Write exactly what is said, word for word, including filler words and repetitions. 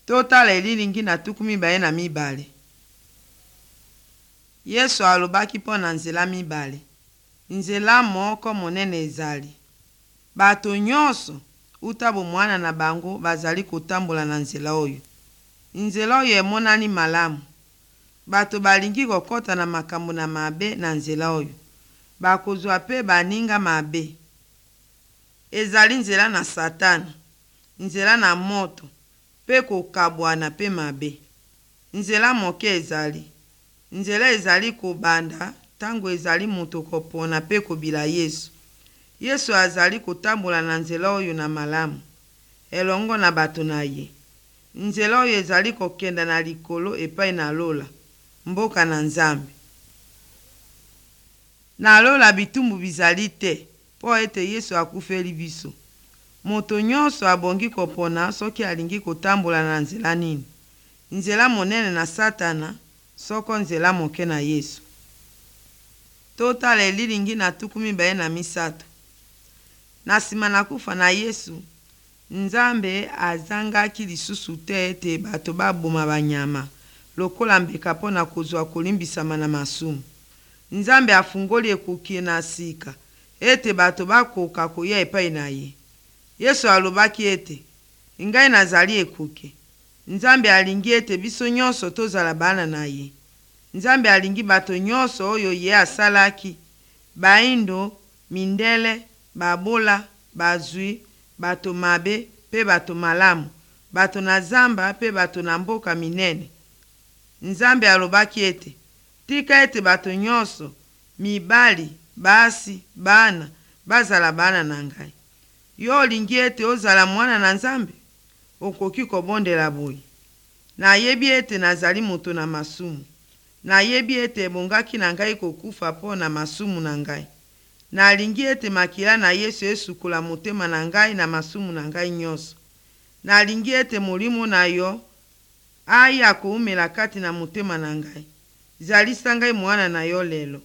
Totala elilingi na tuku mibale na mibale. Yesu alobaki mpo na nzela mibale. Nzela moko monene ezali. Bato nyonso uta bomwana na bango bazali kotambola na nzela oyo. Nzela oyo emonani malamu. Bato balingi kokɔta na makambo na mabe na nzela oyo. Bakozwa mpe baninga mabe. Ezali nzela na Satana, nzela na moto mpe kokabwana mpe mabe. Nzela moke ezali. Nzela ezali kobanda ntango ezali moto kopona mpe kobila Yesu. Yesu azali kotambola na nzela oyo na malamu, elongo na bato na ye. Nzela oyo ezali kokenda na likolo epai na lola, mboka na Nzambe. Na lola bitumbu bizali te mpo ete Yesu akufeli biso. Moto nyonso abongi kopona soki alingi kotambola na nzela nini: nzela monene na Satana soko nzela moke na Yesu. Totala elilingi na tuku mibale na misato. Na nsima na kufa na Yesu, Nzambe azangaki lisusu te ete bato baboma banyama lokola mbeka mpo na kozwa kolimbisama na masumu. Nzambe afungoli ekuke na sika ete bato bakoka koya epai na ye. Yesu alobaki ete, Ngai nazali ekuke. Nzambe alingi ete biso nyonso tozala bana na ye. Nzambe alingi bato nyonso oyo ye asalaki: baindo, mindele, babola, bazwi, bato mabe mpe bato malamu, bato na zamba mpe bato na mboka minene. Nzambe alobaki ete, tika ete bato nyonso, mibali, basi, bana, bazala bana na ngai. Yo olingi ete ozala mwana na Nzambe? Okoki kobondela boye: Nayebi ete nazali moto na masumu. Nayebi ete ebongaki na ngai kokufa mpo na masumu na ngai. Nalingi ete makila na Yesu esukola motema na ngai na masumu na ngai nyonso. Nalingi ete molimo na yo aya koumela kati na motema na ngai. Zalisa ngai mwana na yo lelo.